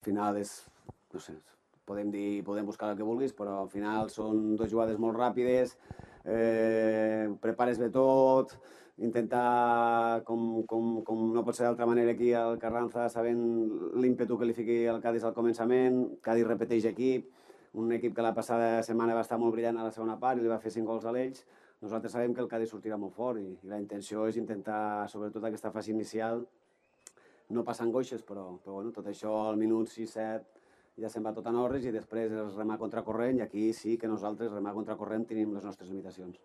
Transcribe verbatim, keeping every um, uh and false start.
Al final és, no sé, podem dir, podem buscar el que vulguis, però al final són dues jugades molt ràpides, eh, prepares bé tot, intentar, com, com, com no pot ser d'altra manera aquí al Carranza, sabent l'ímpetu que li fiqui el Cádiz al començament, Cádiz repeteix equip, un equip que la passada setmana va estar molt brillant a la segona part i li va fer cinc gols a l'Elx. Nosaltres sabem que el Cádiz sortirà molt fort i, i la intenció és intentar, sobretot aquesta fase inicial, no passar angoixes, però, però bueno, tot això al minut sis set ja se'n va tot en orris i després és remar contracorrent i aquí sí que nosaltres remar contracorrent tenim les nostres limitacions.